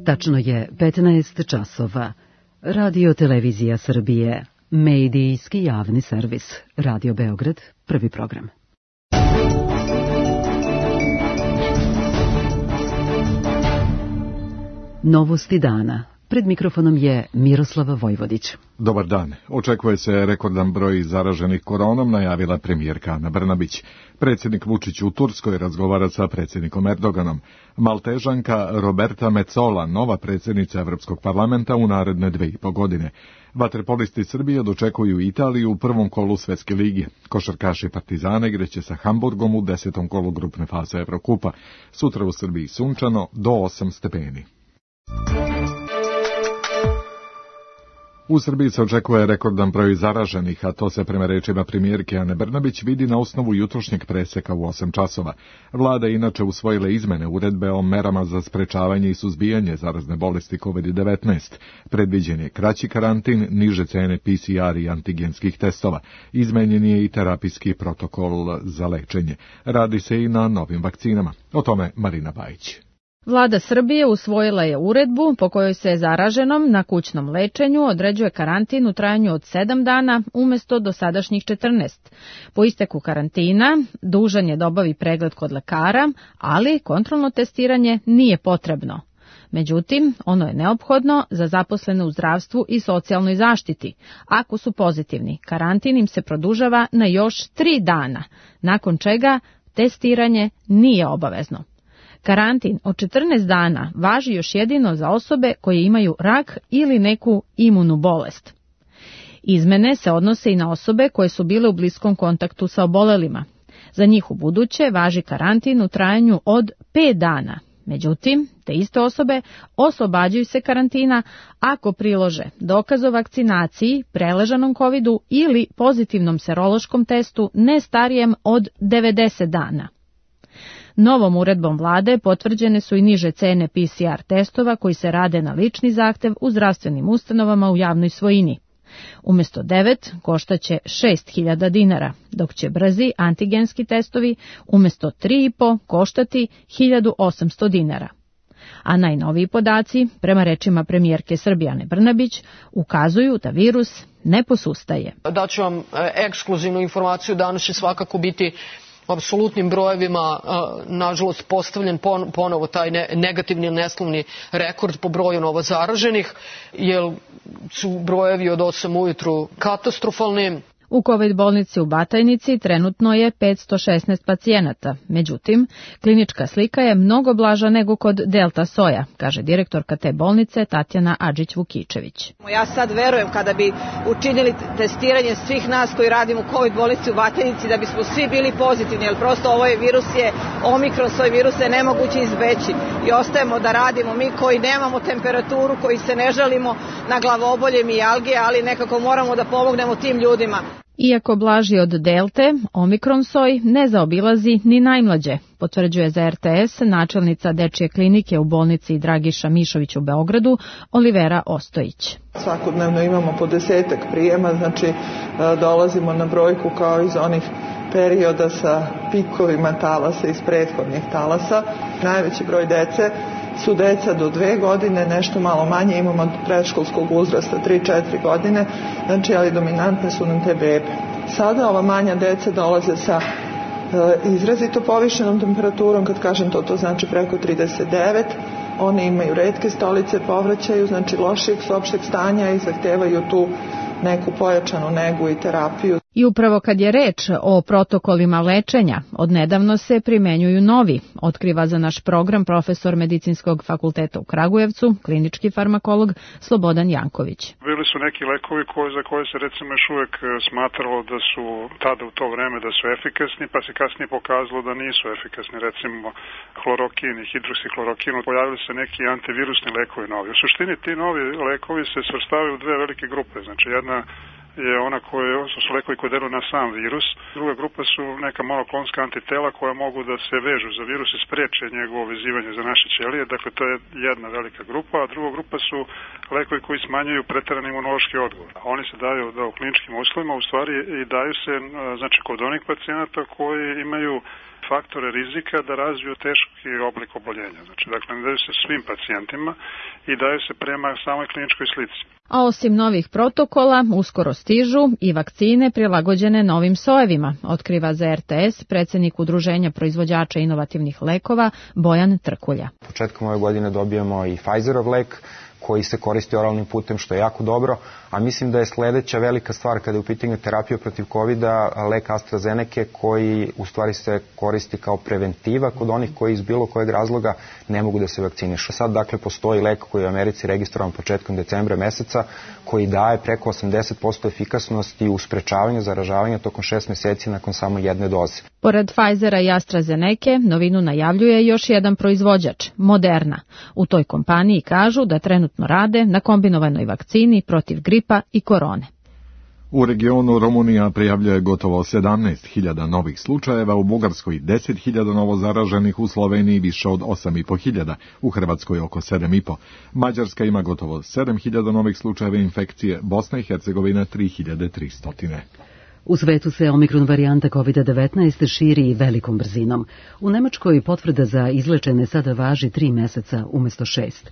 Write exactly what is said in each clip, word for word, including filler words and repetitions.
Tačno je petnaest časova. Radio Televizija Srbije, medijski javni servis. Radio Beograd, prvi program. Novosti dana. Pred mikrofonom je Miroslava Vojvodić. Dobar dan. Očekuje se rekordan broj zaraženih koronom, najavila premijerka Ana Brnabić. Predsjednik Vučić u Turskoj razgovara sa predsjednikom Erdoganom. Maltežanka Roberta Metsola, nova predsjednica Evropskog parlamenta u naredne dve i po godine. Vaterpolisti Srbije dočekuju Italiju u prvom kolu Svetske lige. Košarkaši Partizana igraće sa Hamburgom u desetom kolu grupne faze Evrokupa. Sutra u Srbiji sunčano do osam stepeni. U Srbiji se očekuje rekordan broj zaraženih, a to se prema rečima premijerke Ane Brnabić vidi na osnovu jutrošnjeg preseka u osam časova. Vlada je inače usvojila izmene uredbe o merama za sprečavanje i suzbijanje zarazne bolesti kovid devetnaest. Predviđen je kraći karantin, niže cene P C R i antigenskih testova. Izmenjen je i terapijski protokol za lečenje. Radi se i na novim vakcinama. O tome Marina Bajić. Vlada Srbije usvojila je uredbu po kojoj se zaraženom na kućnom lečenju određuje karantin u trajanju od sedam dana umjesto dosadašnjih četrnaest. Po isteku karantina dužan je da obavi pregled kod lekara, ali kontrolno testiranje nije potrebno. Međutim, ono je neophodno za zaposlene u zdravstvu i socijalnoj zaštiti. Ako su pozitivni, karantin im se produžava na još tri dana, nakon čega testiranje nije obavezno. Karantin od četrnaest dana važi još jedino za osobe koje imaju rak ili neku imunu bolest. Izmene se odnose i na osobe koje su bile u bliskom kontaktu sa obolelima. Za njih u buduće važi karantin u trajanju od pet dana. Međutim, te iste osobe oslobađaju se karantina ako prilože dokaz o vakcinaciji, preležanom kovidu ili pozitivnom serološkom testu ne starijem od devedeset dana. Novom uredbom vlade potvrđene su i niže cene P C R testova koji se rade na lični zahtev u zdravstvenim ustanovama u javnoj svojini. Umjesto devet koštaće šest hiljada dinara, dok će brzi antigenski testovi umjesto tri i po koštati hiljadu osamsto dinara. A najnoviji podaci, prema rečima premijerke Srbije Ane Brnabić, ukazuju da virus ne posustaje. Daću vam ekskluzivnu informaciju, danas će svakako biti apsolutnim brojevima, nažalost, postavljen ponovo taj negativni neslavni rekord po broju novo zaraženih, jer su brojevi od osam ujutru katastrofalni. U COVID bolnici u Batajnici trenutno je petsto šesnaest pacijenata. Međutim, klinička slika je mnogo blaža nego kod Delta soja, kaže direktorka te bolnice Tatjana Adžić-Vukičević. Ja sad verujem kada bi učinili testiranje svih nas koji radimo u COVID bolnici u Batajnici da bismo svi bili pozitivni, jer prosto ovaj virus je omikron, svoj virus je nemoguće izbeći i ostajemo da radimo mi koji nemamo temperaturu, koji se ne žalimo na glavobolje i algije, ali nekako moramo da pomognemo tim ljudima. Iako blaži od delte, omikron soj ne zaobilazi ni najmlađe, potvrđuje za R T S načelnica dečje klinike u bolnici Dragiša Mišović u Beogradu, Olivera Ostojić. Svakodnevno imamo po desetak prijema, znači dolazimo na brojku kao iz onih perioda sa pikovima talasa iz prethodnih talasa. Najveći broj dece su deca do dve godine, nešto malo manje, imamo od predškolskog uzrasta tri četiri godine, znači ali dominantne su nam te bebe. Sada ova manja deca dolaze sa e, izrazito povišenom temperaturom, kad kažem to, to znači preko trideset devet, oni imaju retke stolice, povraćaju, znači lošijeg su opšteg stanja i zahtevaju tu neku pojačanu negu i terapiju. I upravo kad je reč o protokolima lečenja, odnedavno se primenjuju novi, otkriva za naš program profesor Medicinskog fakulteta u Kragujevcu, klinički farmakolog Slobodan Janković. Bili su neki lekovi koji, za koje se recimo još uvijek smatralo da su tada u to vreme da su efikasni, pa se kasnije pokazalo da nisu efikasni, recimo hlorokin i hidroksiklorokin. Pojavili se neki antivirusni lekovi novi. U suštini ti novi lekovi se svrstavaju u dve velike grupe, znači jedna je ona koje su lekovi koji deluju na sam virus. Druga grupa su neka monoklonska antitela koja mogu da se vežu za virus i spreče njegovo vezivanje za naše ćelije. Dakle, to je jedna velika grupa, a druga grupa su lekovi koji smanjuju preterani imunološki odgovor. Oni se daju da u kliničkim uslovima, u stvari i daju se znači kod onih pacijenata koji imaju faktore rizika da razviju teški oblik oboljenja. Znači, dakle, ne daju se svim pacijentima i daju se prema samoj kliničkoj slici. A osim novih protokola, uskoro stižu i vakcine prilagođene novim sojevima, otkriva za er te es predsjednik Udruženja proizvođača inovativnih lekova Bojan Trkulja. Početkom ove godine dobijemo i Pfizerov lek koji se koristi oralnim putem, što je jako dobro, a mislim da je sledeća velika stvar kada je u pitanju terapija protiv kovida lek AstraZeneca koji u stvari se koristi kao preventiva kod onih koji iz bilo kojeg razloga ne mogu da se vakcinišu. Sad dakle postoji lek koji je u Americi registrovan početkom decembra meseca koji daje preko osamdeset posto efikasnosti u sprečavanju zaražavanja tokom šest meseci nakon samo jedne doze. Pored Pfizera i AstraZeneca, novinu najavljuje još jedan proizvođač, Moderna. U toj kompaniji kažu da trenutno rade na kombinovanoj vakcini protiv gripa i korone. U regionu Rumunija prijavljuje gotovo sedamnaest hiljada novih slučajeva, u Bugarskoj deset hiljada novo zaraženih, u Sloveniji više od osam i po hiljada, u Hrvatskoj oko sedam i po. Mađarska ima gotovo sedam hiljada novih slučajeva infekcije, Bosna i Hercegovina tri hiljade tristo. U svetu se omikron varijanta kovid devetnaest širi velikom brzinom. U Nemačkoj potvrda za izlečene sada važi tri meseca umjesto šest.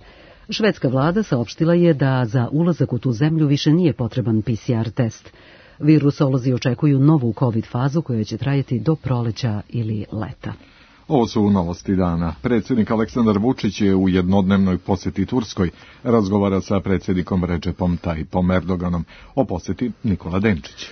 Švedska vlada saopštila je da za ulazak u tu zemlju više nije potreban pe ce er test. Virusolozi očekuju novu covid fazu koja će trajati do proleća ili leta. Ovo su novosti dana. Predsjednik Aleksandar Vučić je u jednodnevnoj posjeti Turskoj, razgovara sa predsjednikom Recepom Tayyipom Erdoganom. O posjeti Nikola Denčić.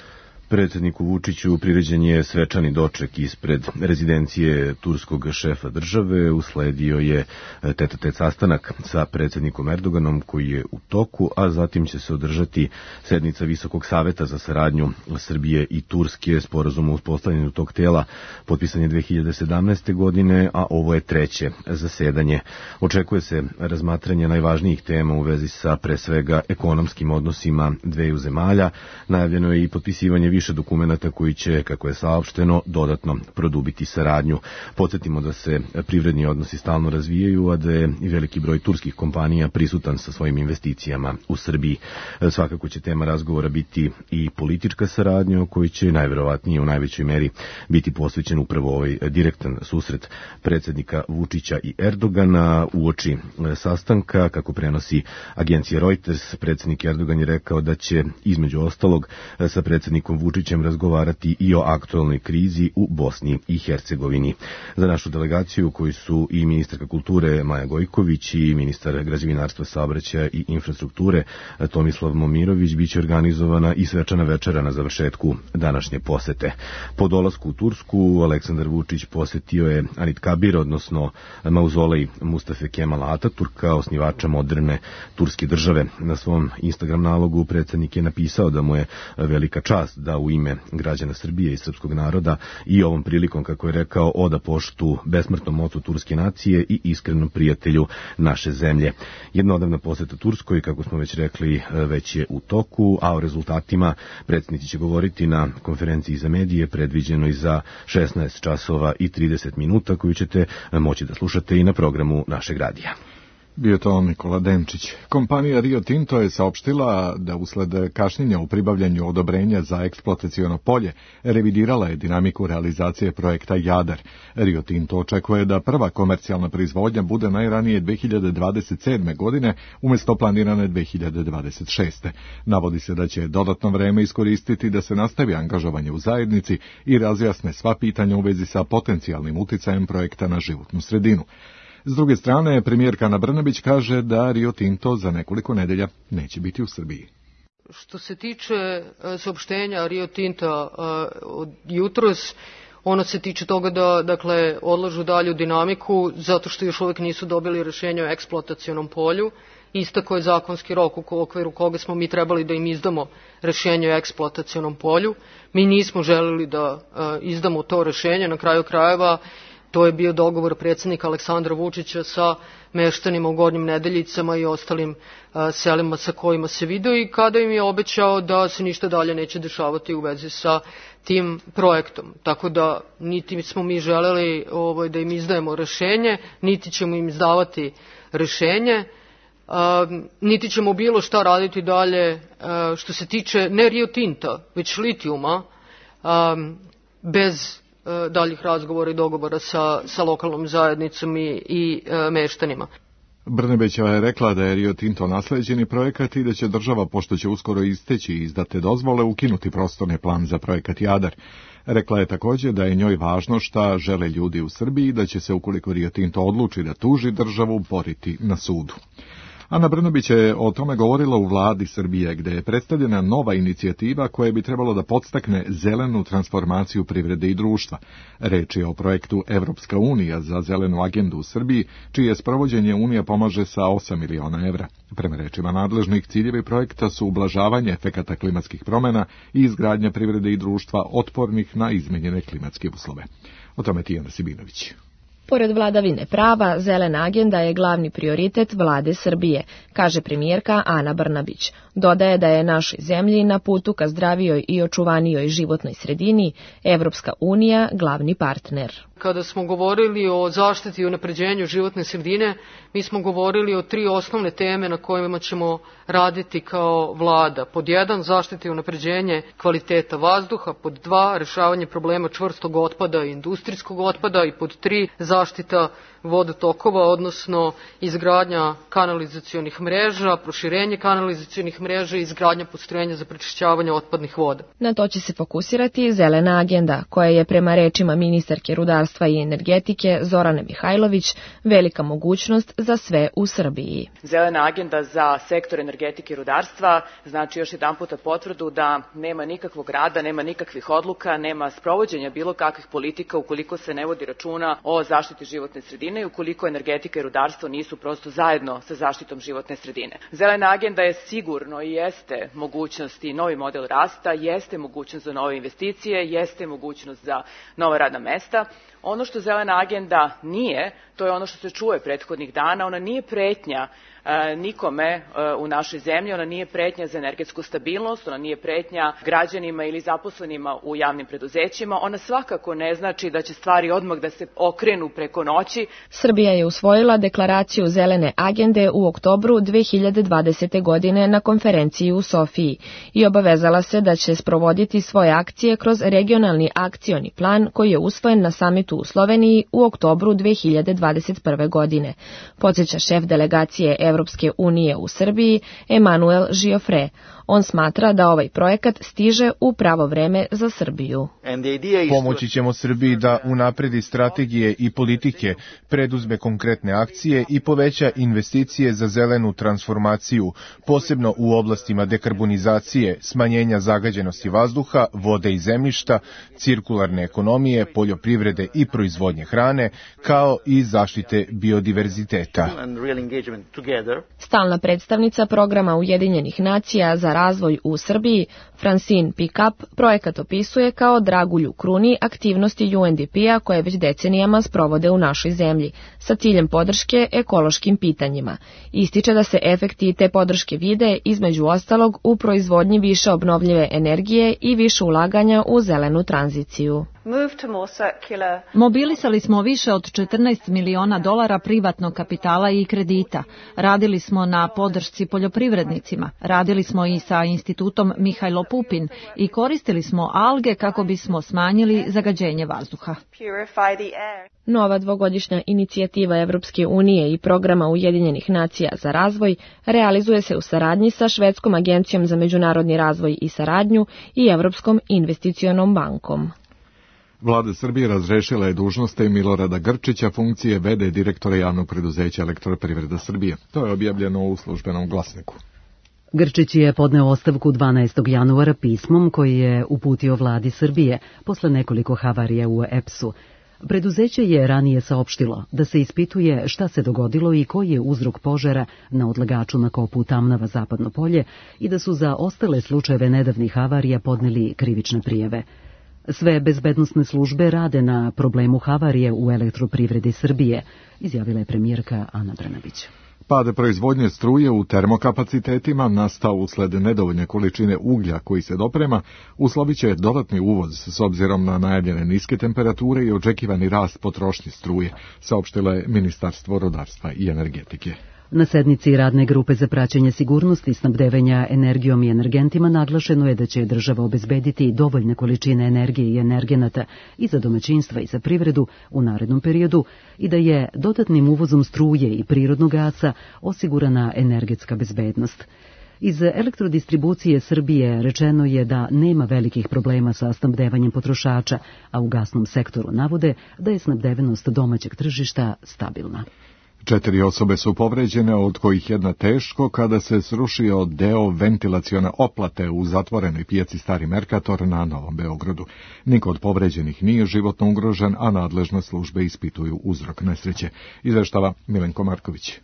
Predsjedniku Vučiću priređen je svečani doček ispred rezidencije turskog šefa države, usledio je tet-a-tet sastanak sa predsjednikom Erdoganom koji je u toku, a zatim će se održati sednica Visokog saveta za saradnju Srbije i Turske. Sporazum o uspostavljanju tog tela potpisan je dve hiljade sedamnaeste. godine, a ovo je treće zasedanje. Očekuje se razmatranje najvažnijih tema u vezi sa pre svega ekonomskim odnosima dveju zemalja. Najavljeno je i potpisivanje više dokumenata koji će, kako je saopšteno, dodatno produbiti saradnju. Podsjetimo da se privredni odnosi stalno razvijaju, a da je i veliki broj turskih kompanija prisutan sa svojim investicijama u Srbiji. Svakako će tema razgovora biti i politička saradnja, koji će najverovatnije u najvećoj meri biti posvećen upravo ovaj direktan susret predsjednika Vučića i Erdogana. Uoči sastanka, kako prenosi agencija Reuters, predsjednik Erdogan je rekao da će između ostalog sa predsjednikom Vučićem razgovarati i o aktualnoj krizi u Bosni i Hercegovini. Za našu delegaciju, koji su i ministarka kulture Maja Gojković i ministar građevinarstva, saobraćaja i infrastrukture Tomislav Momirović, biće organizovana i svečana večera na završetku današnje posete. Po dolasku u Tursku, Aleksandar Vučić posjetio je Anit Kabir, odnosno mauzolej Mustafe Kemala Ataturka, osnivača moderne turske države. Na svom Instagram nalogu predsjednik je napisao da mu je velika čast da u ime građana Srbije i srpskog naroda i ovom prilikom, kako je rekao, oda poštu besmrtnom ocu turske nacije i iskrenom prijatelju naše zemlje. Jednodavna poseta Turskoj, kako smo već rekli, već je u toku, a o rezultatima predsjednici će govoriti na konferenciji za medije, predviđenoj za šesnaest časova i trideset minuta, koju ćete moći da slušate i na programu našeg radija. Bio to Nikola Denčić. Kompanija Rio Tinto je saopštila da usled kašnjenja u pribavljanju odobrenja za eksploataciono polje revidirala je dinamiku realizacije projekta Jadar. Rio Tinto očekuje da prva komercijalna proizvodnja bude najranije dve hiljade dvadeset sedme. godine umjesto planirane dve hiljade dvadeset šeste. Navodi se da će dodatno vreme iskoristiti da se nastavi angažovanje u zajednici i razjasne sva pitanja u vezi sa potencijalnim uticajem projekta na životnu sredinu. S druge strane, premijerka Ana Brnabić kaže da Rio Tinto za nekoliko nedelja neće biti u Srbiji. Što se tiče saopštenja Rio Tinta od jutros, ono se tiče toga da, dakle, odlažu dalju dinamiku zato što još uvek nisu dobili rešenje o eksploatacionom polju. Istako je zakonski rok u okviru koga smo mi trebali da im izdamo rešenje o eksploatacionom polju. Mi nismo želeli da izdamo to rešenje, na kraju krajeva. To je bio dogovor predsjednika Aleksandra Vučića sa meštanima u Gornjim Nedeljicama i ostalim a, selima sa kojima se video i kada im je obećao da se ništa dalje neće dešavati u vezi sa tim projektom. Tako da niti smo mi želeli ovaj, da im izdajemo rešenje, niti ćemo im izdavati rešenje, a, niti ćemo bilo šta raditi dalje a, što se tiče ne Rio Tinta, već litijuma, a, bez daljih razgovora i dogovora sa, sa lokalnom zajednicom i, i meštanima. Brnebićeva je rekla da je Rio Tinto nasleđeni projekat i da će država, pošto će uskoro isteći i izdate dozvole, ukinuti prostorni plan za projekat Jadar. Rekla je također da je njoj važno šta žele ljudi u Srbiji i da će se, ukoliko Rio Tinto odluči da tuži državu, boriti na sudu. Ana Brnabić je o tome govorila u vladi Srbije, gde je predstavljena nova inicijativa koja bi trebalo da podstakne zelenu transformaciju privrede i društva. Reč je o projektu Evropska unija za zelenu agendu u Srbiji, čije sprovođenje Unija pomaže sa osam miliona evra. Prema rečima nadležnih, ciljevi projekta su ublažavanje efekata klimatskih promjena i izgradnja privrede i društva otpornih na izmenjene klimatske uslove. O tome Tijana Sibinović. Pored vladavine prava, zelena agenda je glavni prioritet vlade Srbije, kaže premijerka Ana Brnabić. Dodaje da je našoj zemlji na putu ka zdravijoj i očuvanijoj životnoj sredini Evropska unija glavni partner. Kada smo govorili o zaštiti i unapređenju životne sredine, mi smo govorili o tri osnovne teme na kojima ćemo raditi kao vlada. Pod jedan, zaštiti i unapređenje kvaliteta vazduha, pod dva, rešavanje problema čvrstog otpada i industrijskog otpada i pod tri, zaštita vodotokova, odnosno izgradnja kanalizacionih mreža, proširenje kanalizacionih mreža i izgradnja postrojenja za prečišćavanje otpadnih voda. Na to će se fokusirati zelena agenda, koja je prema rečima ministarke rudarstva i energetike Zorane Mihajlović velika mogućnost za sve u Srbiji. Zelena agenda za sektor energetike i rudarstva znači još jedan puta potvrdu da nema nikakvog rada, nema nikakvih odluka, nema sprovođenja bilo kakvih politika ukoliko se ne vodi računa o zaštiti životne sredine i ukoliko energetika i rudarstvo nisu prosto zajedno sa zaštitom životne sredine. Zelena agenda je sigurno i jeste mogućnost i novi model rasta, jeste mogućnost za nove investicije, jeste mogućnost za nova radna mesta. Ono što zelena agenda nije, to je ono što se čuje prethodnih dana, ona nije pretnja e, nikome e, u našoj zemlji, ona nije pretnja za energetsku stabilnost, ona nije pretnja građanima ili zaposlenima u javnim preduzećima, ona svakako ne znači da će stvari odmah da se okrenu preko noći. Srbija je usvojila deklaraciju zelene agende u oktobru dve hiljade dvadesete. godine na konferenciji u Sofiji i obavezala se da će sprovoditi svoje akcije kroz regionalni akcioni plan koji je usvojen na samitu u Sloveniji u oktobru dve hiljade dvadeset prve. godine. Podsjeća šef delegacije Evropske unije u Srbiji Emanuel Giofre. On smatra da ovaj projekat stiže u pravo vreme za Srbiju. Pomoći ćemo Srbiji da unapredi strategije i politike, preduzme konkretne akcije i poveća investicije za zelenu transformaciju, posebno u oblastima dekarbonizacije, smanjenja zagađenosti vazduha, vode i zemljišta, cirkularne ekonomije, poljoprivrede i proizvodnje hrane, kao i zaštite biodiverziteta. Stalna predstavnica programa Ujedinjenih nacija za razvoj u Srbiji, Francine Pickup, projekat opisuje kao dragulju kruni aktivnosti U N D P-a koje već decenijama sprovode u našoj zemlji, sa ciljem podrške ekološkim pitanjima. Ističe da se efekti te podrške vide, između ostalog, u proizvodnji više obnovljive energije i više ulaganja u zelenu tranziciju. Mobilisali smo više od četrnaest miliona dolara privatnog kapitala i kredita. Radili smo na podršci poljoprivrednicima. Radili smo i sa institutom Mihajlo Pupin i koristili smo alge kako bismo smanjili zagađenje vazduha. Nova dvogodišnja inicijativa Evropske unije i programa Ujedinjenih nacija za razvoj realizuje se u saradnji sa Švedskom agencijom za međunarodni razvoj i saradnju i Evropskom investicionom bankom. Vlada Srbije razrešila je dužnosti Milorada Grčića funkcije v d direktora javnog preduzeća Elektroprivreda Srbije. To je objavljeno u službenom glasniku. Grčić je podneo ostavku dvanaestog januara pismom koji je uputio vladi Srbije posle nekoliko havarija u E P S-u. Preduzeće je ranije saopštilo da se ispituje šta se dogodilo i koji je uzrok požara na odlagaču na kopu Tamnava Zapadno polje i da su za ostale slučajeve nedavnih havarija podneli krivične prijave. Sve bezbednosne službe rade na problemu havarije u Elektroprivredi Srbije, izjavila je premijerka Ana Brnabić. Pad proizvodnje struje u termokapacitetima nastao usled nedovoljne količine uglja koji se doprema, uslovit će dodatni uvoz s obzirom na najavljene niske temperature i očekivani rast potrošnje struje, saopštilo je Ministarstvo rudarstva i energetike. Na sednici Radne grupe za praćenje sigurnosti snabdevanja energijom i energentima naglašeno je da će država obezbediti dovoljne količine energije i energenata i za domaćinstva i za privredu u narednom periodu i da je dodatnim uvozom struje i prirodnog gasa osigurana energetska bezbednost. Iz elektrodistribucije Srbije rečeno je da nema velikih problema sa snabdevanjem potrošača, a u gasnom sektoru navode da je snabdevenost domaćeg tržišta stabilna. Četiri osobe su povređene, od kojih jedna teško, kada se srušio deo ventilacione oplate u zatvorenoj pijaci Stari Merkator na Novom Beogradu. Niko od povređenih nije životno ugrožen, a nadležne službe ispituju uzrok nesreće. Izveštava Milenko Marković.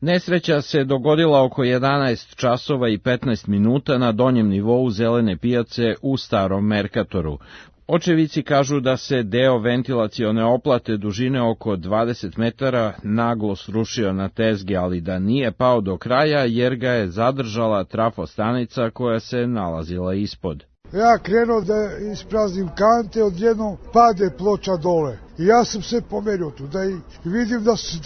Nesreća se dogodila oko jedanaest časova i petnaest minuta na donjem nivou Zelene pijace u Starom Merkatoru. Očevici kažu da se deo ventilacione oplate dužine oko dvadeset metara naglo srušio na tezgi, ali da nije pao do kraja jer ga je zadržala trafostanica koja se nalazila ispod. Ja krenuo da ispraznim kante, odjednom pade ploča dole. I ja sam se pomerio tu, da i vidim da su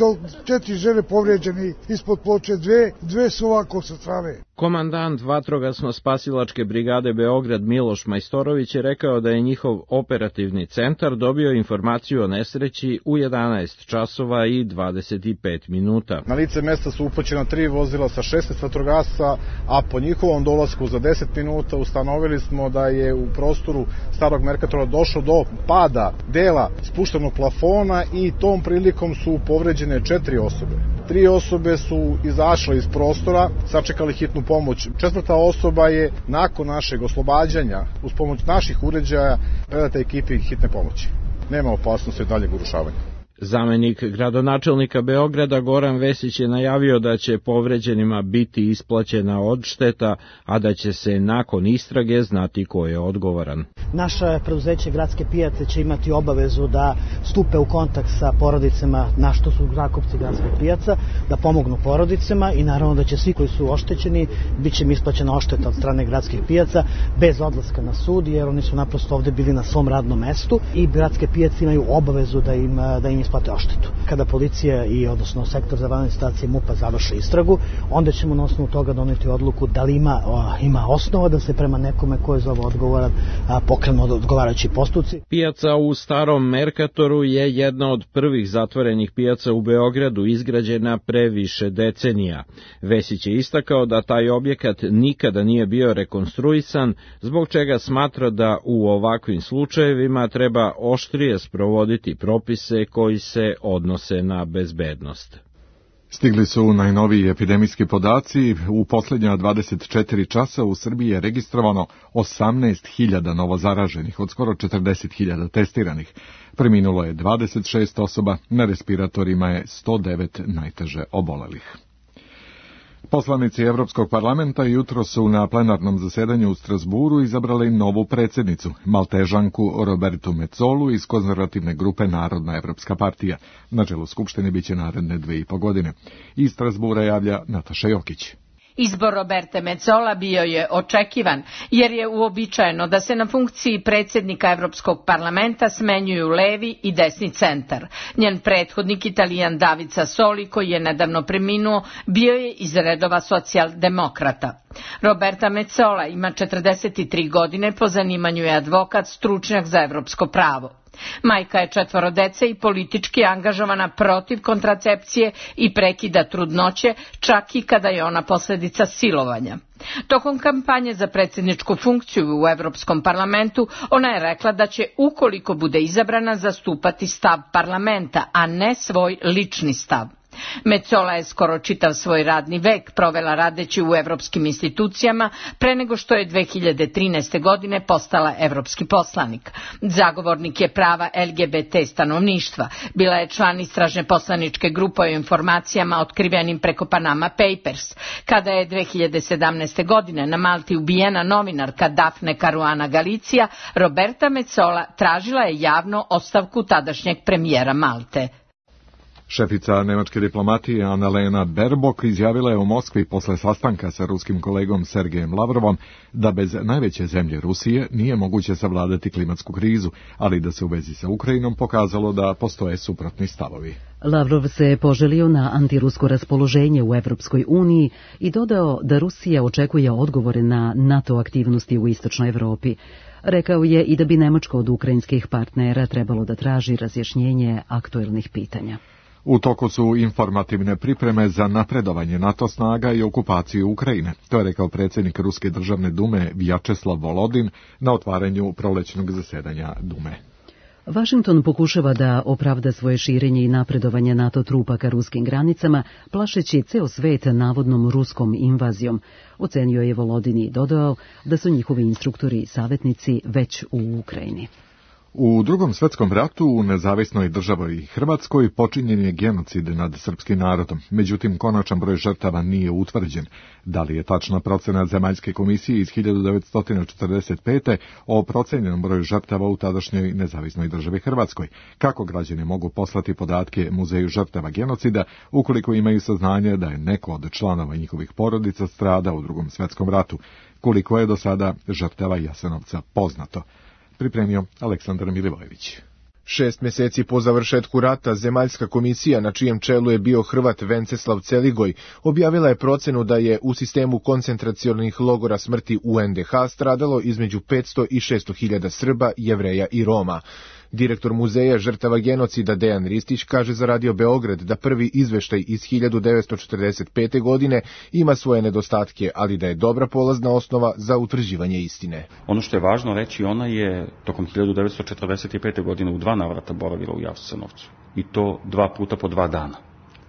četiri žene povređeni ispod ploče, dve, dve su ovako sa strane. Komandant vatrogasno-spasilačke brigade Beograd Miloš Majstorović je rekao da je njihov operativni centar dobio informaciju o nesreći u jedanaest časova i dvadeset pet minuta. Na lice mesta su upućena tri vozila sa šesnaest vatrogasaca, a po njihovom dolasku za deset minuta ustanovili smo da je u prostoru Starog Merkatora došlo do pada dela spuštenog plafona i tom prilikom su povređene četiri osobe. Tri osobe su izašle iz prostora, sačekali hitnu pomoć. Četvrta osoba je nakon našeg oslobađanja uz pomoć naših uređaja predata ekipi hitne pomoći. Nema opasnosti daljeg urušavanja. Zamenik gradonačelnika Beograda Goran Vesić je najavio da će povređenima biti isplaćena odšteta, a da će se nakon istrage znati ko je odgovoran. Naše preduzeće Gradske pijace će imati obavezu da stupe u kontakt sa porodicama, na što su zakupci Gradskih pijaca, da pomognu porodicama i naravno da će svi koji su oštećeni, bit će im isplaćena odšteta od strane Gradskih pijaca bez odlaska na sud, jer oni su naprosto ovde bili na svom radnom mestu i Gradske pijace imaju obavezu da im, da im isplate oštetu. Kada policija i odnosno sektor za vanredne situacije MUP-a završe istragu, onda ćemo na osnovu toga doneti odluku da li ima, o, ima osnova da se prema nekome ko je za ovo odgovoran a, pokrenu odgovarajući postupci. Pijaca u Starom Merkatoru je jedna od prvih zatvorenih pijaca u Beogradu, izgrađena pre više decenija. Vesić je istakao da taj objekat nikada nije bio rekonstruisan, zbog čega smatra da u ovakvim slučajevima treba oštrije sprovoditi propise koji se odnose na bezbednost. Stigli su najnoviji epidemijski podaci. U posljednja dvadeset četiri časa u Srbiji je registrovano osamnaest hiljada novozaraženih od skoro četrdeset hiljada testiranih. Preminulo je dvadeset šest osoba, na respiratorima je sto devet najteže obolelih. Poslanici Evropskog parlamenta jutro su na plenarnom zasedanju u Strasburu izabrali novu predsjednicu, Maltežanku Robertu Mecolu iz konzervativne grupe Narodna evropska partija. Na čelu Skupštine biće naredne dve i po godine. Iz Strasbura javlja Nataša Jokić. Izbor Roberte Metsola bio je očekivan, jer je uobičajeno da se na funkciji predsjednika Evropskog parlamenta smenjuju levi i desni centar. Njen prethodnik, Italijan David Sassoli, koji je nedavno preminuo, bio je iz redova socijaldemokrata. Roberta Metsola ima četrdeset tri godine, po zanimanju je advokat, stručnjak za evropsko pravo. Majka je četvoro dece i politički angažovana protiv kontracepcije i prekida trudnoće, čak i kada je ona posljedica silovanja. Tokom kampanje za predsjedničku funkciju u Evropskom parlamentu ona je rekla da će, ukoliko bude izabrana, zastupati stav parlamenta, a ne svoj lični stav. Metsola je skoro čitav svoj radni vek provela radeći u evropskim institucijama pre nego što je dve hiljade trinaeste. godine postala evropski poslanik. Zagovornik je prava L G B T stanovništva. Bila je član istražne poslaničke grupe o informacijama otkrivenim preko Panama Papers. Kada je dve hiljade sedamnaeste. godine na Malti ubijena novinarka Daphne Caruana Galizia, Roberta Metsola tražila je javno ostavku tadašnjeg premijera Malte. Šefica nemačke diplomatije Annalena Baerbock izjavila je u Moskvi posle sastanka sa ruskim kolegom Sergejem Lavrovom da bez najveće zemlje Rusije nije moguće savladati klimatsku krizu, ali da se u vezi sa Ukrajinom pokazalo da postoje suprotni stavovi. Lavrov se poželio na antirusko raspoloženje u Evropskoj uniji i dodao da Rusija očekuje odgovore na NATO aktivnosti u istočnoj Evropi. Rekao je i da bi Nemačka od ukrajinskih partnera trebalo da traži razjašnjenje aktuelnih pitanja. U toku su informativne pripreme za napredovanje NATO snaga i okupaciju Ukrajine. To je rekao predsjednik Ruske državne dume Vjačeslav Volodin na otvaranju prolećnog zasedanja Dume. Washington pokušava da opravda svoje širenje i napredovanje NATO trupa ka ruskim granicama, plašeći ceo svet navodnom ruskom invazijom, ocenio je Volodin i dodao da su njihovi instruktori i savjetnici već u Ukrajini. U Drugom svetskom ratu u nezavisnoj državi Hrvatskoj počinjen je genocid nad srpskim narodom, međutim konačan broj žrtava nije utvrđen. Da li je tačna procena Zemaljske komisije iz hiljadu devetsto četrdeset pete o procenjenom broju žrtava u tadašnjoj nezavisnoj državi Hrvatskoj? Kako građani mogu poslati podatke Muzeju žrtava genocida ukoliko imaju saznanje da je neko od članova njihovih porodica stradao u Drugom svetskom ratu? Koliko je do sada žrtava Jasenovca poznato? Pripremio Aleksandar Milivojević. Šest mjeseci po završetku rata, Zemaljska komisija, na čijem čelu je bio Hrvat Venceslav Celigoj, objavila je procenu da je u sistemu koncentracionih logora smrti u en de ha stradalo između petsto i šesto hiljada Srba, Jevreja i Roma. Direktor Muzeja žrtava genocida Dejan Ristić kaže za Radio Beograd da prvi izveštaj iz hiljadu devetsto četrdeset pete. godine ima svoje nedostatke, ali da je dobra polazna osnova za utvrđivanje istine. Ono što je važno reći, ona je tokom hiljadu devetsto četrdeset pete. godine u dva navrata boravila u Jasenovcu. I to dva puta po dva dana.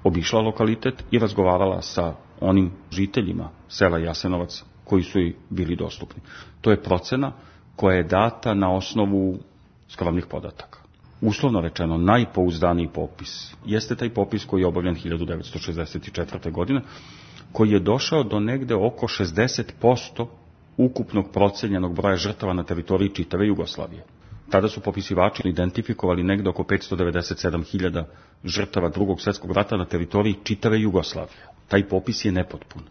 Obišla lokalitet i razgovarala sa onim žiteljima sela Jasenovac koji su joj bili dostupni. To je procena koja je data na osnovu skromnih podataka. Uslovno rečeno, najpouzdaniji popis jeste taj popis koji je obavljen hiljadu devetsto šezdeset četvrte. godine, koji je došao do negde oko šezdeset posto ukupnog procenjenog broja žrtava na teritoriji čitave Jugoslavije. Tada su popisivači identifikovali negde oko petsto devedeset sedam hiljada žrtava Drugog svjetskog rata na teritoriji čitave Jugoslavije. Taj popis je nepotpun.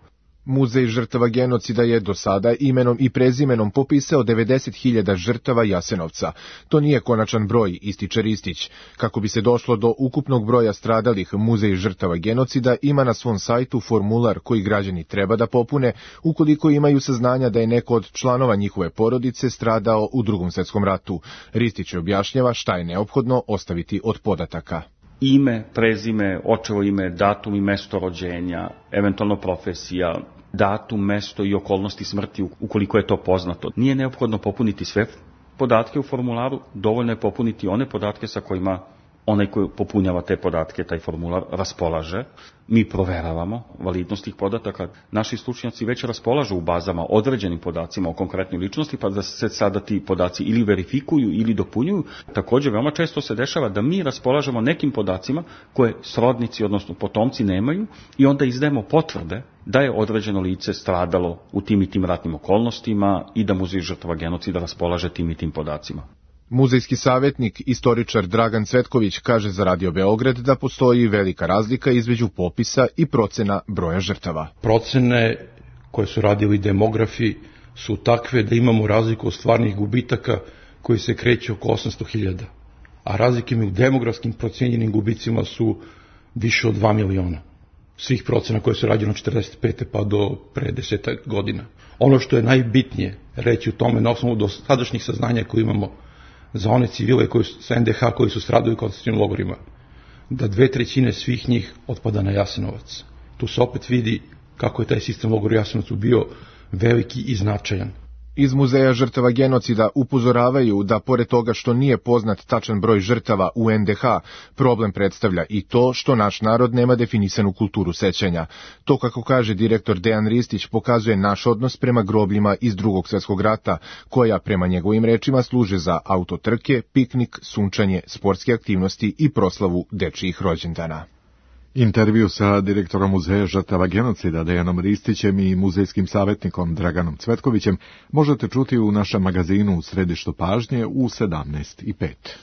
Muzej žrtava genocida je do sada imenom i prezimenom popisao devedeset hiljada žrtava Jasenovca. To nije konačan broj, ističe Ristić. Kako bi se došlo do ukupnog broja stradalih, Muzej žrtava genocida ima na svom sajtu formular koji građani treba da popune ukoliko imaju saznanja da je neko od članova njihove porodice stradao u Drugom svjetskom ratu. Ristić objašnjava šta je neophodno ostaviti od podataka. Ime, prezime, očevo ime, datum i mesto rođenja, eventualno profesija, datum, mesto i okolnosti smrti ukoliko je to poznato. Nije neophodno popuniti sve podatke u formularu, dovoljno je popuniti one podatke sa kojima onaj koji popunjava te podatke, taj formular, raspolaže. Mi proveravamo validnost tih podataka. Naši stručnjaci već raspolažu u bazama određenim podacima o konkretnoj ličnosti, pa da se sada ti podaci ili verifikuju ili dopunjuju. Također, veoma često se dešava da mi raspolažemo nekim podacima koje srodnici, odnosno potomci, nemaju i onda izdajemo potvrde da je određeno lice stradalo u tim i tim ratnim okolnostima i da Muzej žrtava genocida raspolaže tim i tim podacima. Muzejski savjetnik, istoričar Dragan Cvetković kaže za Radio Beograd da postoji velika razlika između popisa i procena broja žrtava. Procene koje su radili demografi su takve da imamo razliku od stvarnih gubitaka koji se kreću oko osamsto hiljada, a razlike u demografskim procenjenim gubicima su više od dva miliona. Svih procena koje su rađene od četrdeset pete pa do pre desetak godina. Ono što je najbitnije reći u tome na osnovu dosadašnjih saznanja koje imamo za one civile koji su, sa en de ha koji su stradali u koncentracionim logorima, da dve trećine svih njih otpada na Jasenovac. Tu se opet vidi kako je taj sistem logora u Jasenovcu bio veliki i značajan. Iz Muzeja žrtava genocida upozoravaju da pored toga što nije poznat tačan broj žrtava u en de ha, problem predstavlja i to što naš narod nema definisanu kulturu sećanja. To, kako kaže direktor Dejan Ristić, pokazuje naš odnos prema grobljima iz Drugog svjetskog rata, koja prema njegovim rečima služe za autotrke, piknik, sunčanje, sportske aktivnosti i proslavu dečijih rođendana. Intervju sa direktorom Muzeja žrtava genocida Dejanom Ristićem i muzejskim savjetnikom Draganom Cvetkovićem možete čuti u našem magazinu U središtu pažnje u sedamnaest i pet.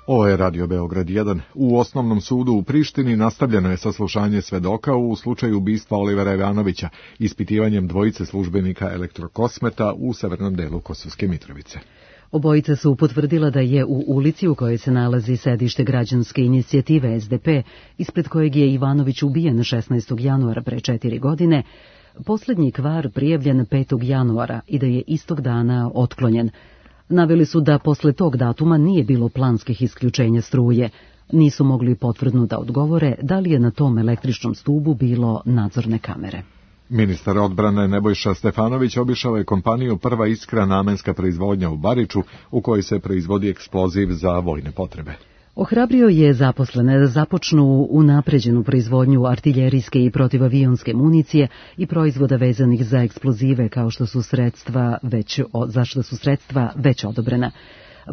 Ovo je Radio Beograd jedan. U osnovnom sudu u Prištini nastavljeno je saslušanje svedoka u slučaju ubistva Olivera Ivanovića, ispitivanjem dvojice službenika Elektrokosmeta u severnom delu Kosovske Mitrovice. Obojica su potvrdila da je u ulici u kojoj se nalazi sedište građanske inicijative S D P, ispred kojeg je Ivanović ubijen šesnaestog januara pre četiri godine, posljednji kvar prijavljen petog januara i da je istog dana otklonjen. Naveli su da posle tog datuma nije bilo planskih isključenja struje. Nisu mogli potvrdno da odgovore da li je na tom električnom stubu bilo nadzorne kamere. Ministar odbrane Nebojša Stefanović obišao je kompaniju Prva Iskra namenska proizvodnja u Bariču, u kojoj se proizvodi eksploziv za vojne potrebe. Ohrabrio je zaposlene da započnu unapređenu proizvodnju artiljerijske i protivavionske municije i proizvoda vezanih za eksplozive, kao što su sredstva već, za što su sredstva već odobrena.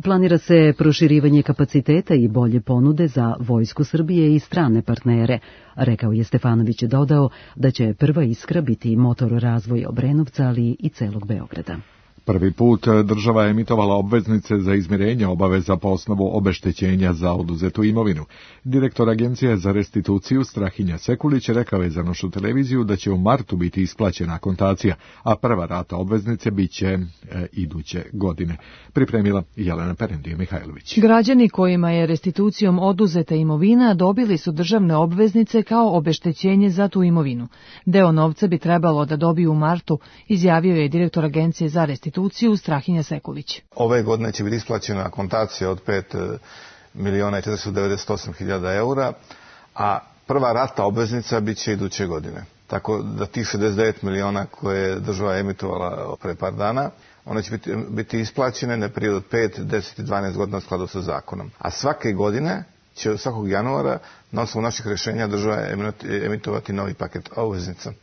Planira se proširivanje kapaciteta i bolje ponude za Vojsku Srbije i strane partnere. Rekao je Stefanović, dodao da će Prva Iskra biti motor razvoja Obrenovca, ali i celog Beograda. Prvi put država je emitovala obveznice za izmirenje obaveza po osnovu obeštećenja za oduzetu imovinu. Direktor Agencije za restituciju Strahinja Sekulić rekao je za našu televiziju da će u martu biti isplaćena akontacija, a prva rata obveznice biće e, iduće godine. Pripremila Jelena Perendije-Mihajlović. Građani kojima je restitucijom oduzeta imovina dobili su državne obveznice kao obeštećenje za tu imovinu. Deo novca bi trebalo da dobiju u martu, izjavio je direktor Agencije za restituciju Strahinja Sekulić. Ove godine će biti isplaćena akontacija od pet miliona četiristo devedeset osam hiljada eura, a prva rata obveznica bit će iduće godine. Tako da tih šezdeset devet miliona koje je država emitovala pre par dana, one će biti, biti isplaćene na period od pet, deset i dvanaest godina u skladu sa zakonom. A svake godine će od svakog januara na osnovu naših rješenja država emitovati novi paket obveznica.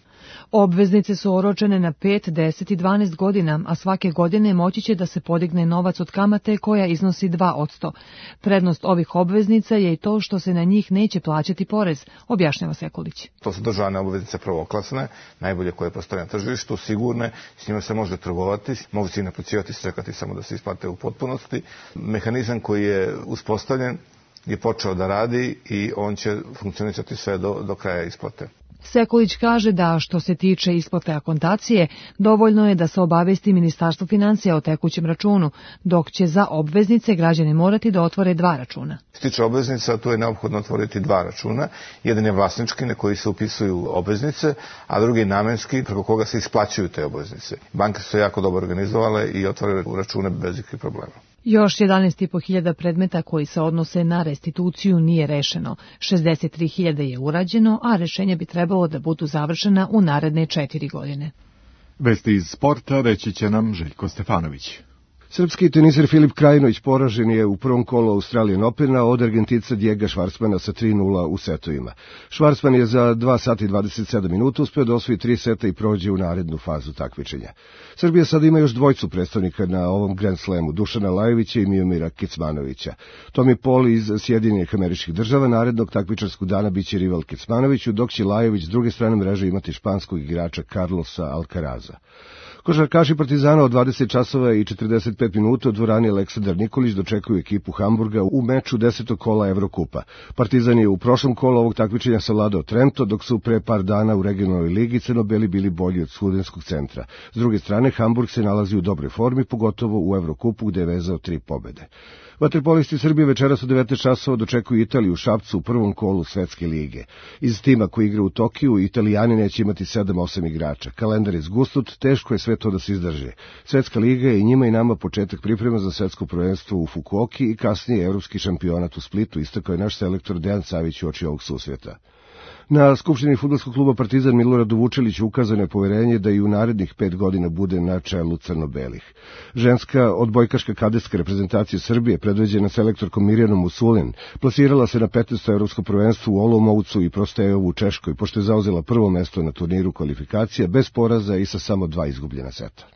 Obveznice su oročene na pet, deset i dvanaest godina, a svake godine moći će da se podigne novac od kamate koja iznosi dva posto. Prednost ovih obveznica je i to što se na njih neće plaćati porez, objašnjava Sekulić. To su državne obveznice prvoklasne, najbolje koje postoje na tržištu, sigurne, s njima se može trgovati, mogu se i naplaćivati, čekati samo da se isplate u potpunosti. Mehanizam koji je uspostavljen je počeo da radi i on će funkcionisati sve do, do kraja isplate. Sekulić kaže da što se tiče isplate akontacije, dovoljno je da se obavesti Ministarstvo financija o tekućem računu, dok će za obveznice građani morati da otvore dva računa. Što se tiče obveznica, tu je neophodno otvoriti dva računa. Jedan je vlasnički na koji se upisuju obveznice, a drugi je namenski preko koga se isplaćuju te obveznice. Banke su jako dobro organizovale i otvore račune bez ikakvih problema. Još jedanaest i po hiljada predmeta koji se odnose na restituciju nije rešeno. šezdeset tri hiljade je urađeno, a rešenja bi trebalo da budu završena u naredne četiri godine. Vesti iz sporta reći će nam Željko Stefanović. Srpski teniser Filip Krajinović poražen je u prvom kolu Australian Opena od Argentinca Diega Švarcmana sa tri nula u setovima. Švarcman je za dva sata i dvadeset sedam minuta uspeo da osvoji tri seta i prođe u narednu fazu takmičenja. Srbija sada ima još dvojcu predstavnika na ovom Grand Slamu, Dušana Lajovića i Miomira Kecmanovića. Tommy Paul iz Sjedinjenih Američkih Država narednog takmičarskog dana biće rival Kecmanoviću, dok će Lajović s druge strane mreže imati španskog igrača Carlosa Alcaraza. Košarkaši Partizana od dvadeset časova i četrdeset pet minuta u dvorani Aleksandar Nikolić dočekuju ekipu Hamburga u meču desetog kola Evrokupa. Partizan je u prošlom kolu ovog takmičenja savladao Trento, dok su pre par dana u regionalnoj ligi crno-beli bili bolji od Studenskog centra. S druge strane, Hamburg se nalazi u dobroj formi, pogotovo u Evrokupu gde je vezao tri pobede. Vaterpolisti Srbije večeras u devetnaest časova dočekuju Italiju u Šapcu u prvom kolu Svetske lige. Iz tima koji igra u Tokiju, Italijani neće imati sedam osam igrača. Kalendar je zgusnut, teško je sve to da se izdrži. Svetska liga je i njima i nama početak priprema za svetsko prvenstvo u Fukuoki i kasnije evropski šampionat u Splitu, istakao je naš selektor Dejan Savić uoči ovog susreta. Na Skupštini fudbalskog kluba Partizan Miloradu Vučeliću ukazano je poverenje da i u narednih pet godina bude na čelu crno-belih. Ženska odbojkaška kadetska reprezentacija Srbije, predvođena selektorkom Mirjanom Usulin, plasirala se na petnaesto evropsko prvenstvo u Olomoucu i Prostejovu u Češkoj, pošto je zauzela prvo mesto na turniru kvalifikacija bez poraza i sa samo dva izgubljena seta.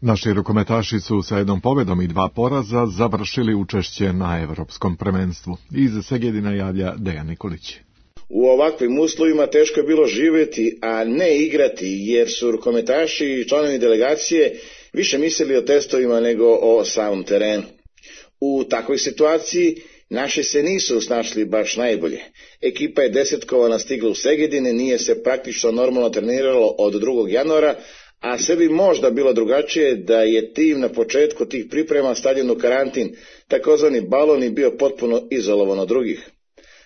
Naši rukometaši su sa jednom pobedom i dva poraza završili učešće na evropskom prvenstvu. Iz Segedina javlja Dejan Nikolić. U ovakvim uslovima teško je bilo živjeti, a ne igrati, jer su rukometaši i članovi delegacije više mislili o testovima nego o samom terenu. U takvoj situaciji Naši se nisu snašli baš najbolje. Ekipa je desetkovana stigla u Segedine, nije se praktično normalno treniralo od drugog januara, a sve bi možda bilo drugačije da je tim na početku tih priprema stavljen u karantin, takozvani balon i bio potpuno izolovan od drugih.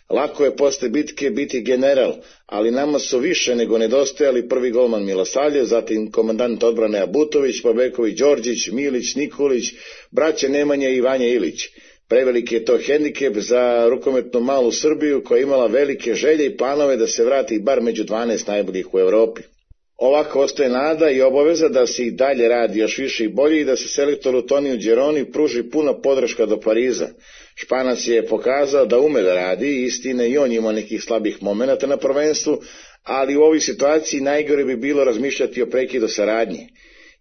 Lako je posle bitke biti general, ali nama su više nego nedostajali prvi golman Milosavljev, zatim komandant odbrane Abutović, Babeković, Đorđić, Milić, Nikolić, braće Nemanja i Vanja Ilić. Preveliki je to hendikep za rukometnu malu Srbiju koja je imala velike želje i planove da se vrati bar među dvanaest najboljih u Evropi. Ovako ostaje nada i obaveza da se i dalje radi još više i bolje i da se selektoru Toniju Đeroni pruži puna podrška do Pariza. Španac je pokazao da ume da radi, istine i on ima nekih slabih momenata na prvenstvu, ali u ovoj situaciji najgore bi bilo razmišljati o prekidu saradnje.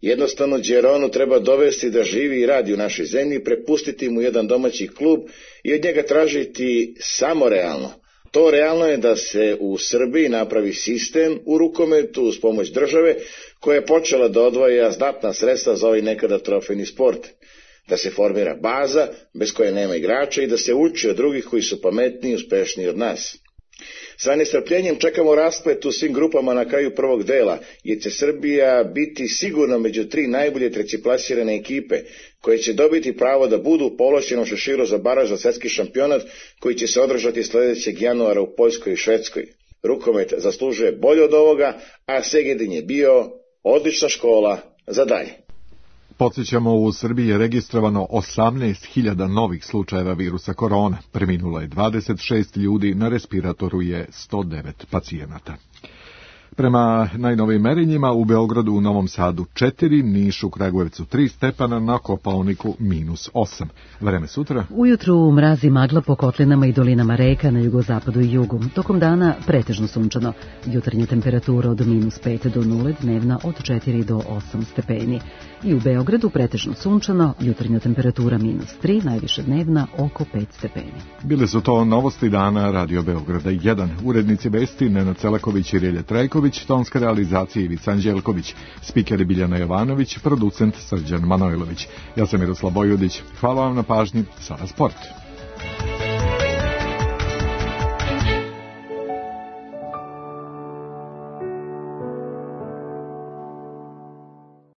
Jednostavno Đeronu treba dovesti da živi i radi u našoj zemlji, prepustiti mu jedan domaći klub i od njega tražiti samo realno. To realno je da se u Srbiji napravi sistem u rukometu uz pomoć države koja je počela da odvaja znatna sredstva za ovaj nekada trofejni sport. Da se formira baza bez koje nema igrača i da se uči od drugih koji su pametniji i uspešniji od nas. Sa nestrpljenjem čekamo rasplet u svim grupama na kraju prvog dela, jer će Srbija biti sigurno među tri najbolje trećeplasirane ekipe, koje će dobiti pravo da budu u povlašćenom šeširu za baraž za svetski šampionat, koji će se održati sledećeg januara u Poljskoj i Švedskoj. Rukomet zaslužuje bolje od ovoga, a Segedin je bio odlična škola za dalje. Podsjećamo, u Srbiji je registrovano osamnaest hiljada novih slučajeva virusa korona. Preminulo je dvadeset šest ljudi, na respiratoru je sto devet pacijenata. Prema najnovijim merenjima u Beogradu, u Novom Sadu četiri, Nišu, Kragujevcu tri stepana, na Kopaoniku minus osam. Vreme sutra. Ujutru mrazi magla po kotlinama i dolinama reka na jugozapadu i jugu. Tokom dana pretežno sunčano. Jutarnja temperatura od minus pet do nule, dnevna od četiri do osam stepeni. I u Beogradu pretežno sunčano, jutarnja temperatura minus tri, najviše dnevna oko pet stepeni. Bile su to novosti dana Radio Beograda jedan. Urednici vesti Nenad Celaković i Relje Trajković, tonska realizacija Ivica Anđelković, spikeri Biljana Jovanović, producent Srđan Manojlović. Ja sam Miroslav Bojudić. Hvala vam na pažnji. Sada sport.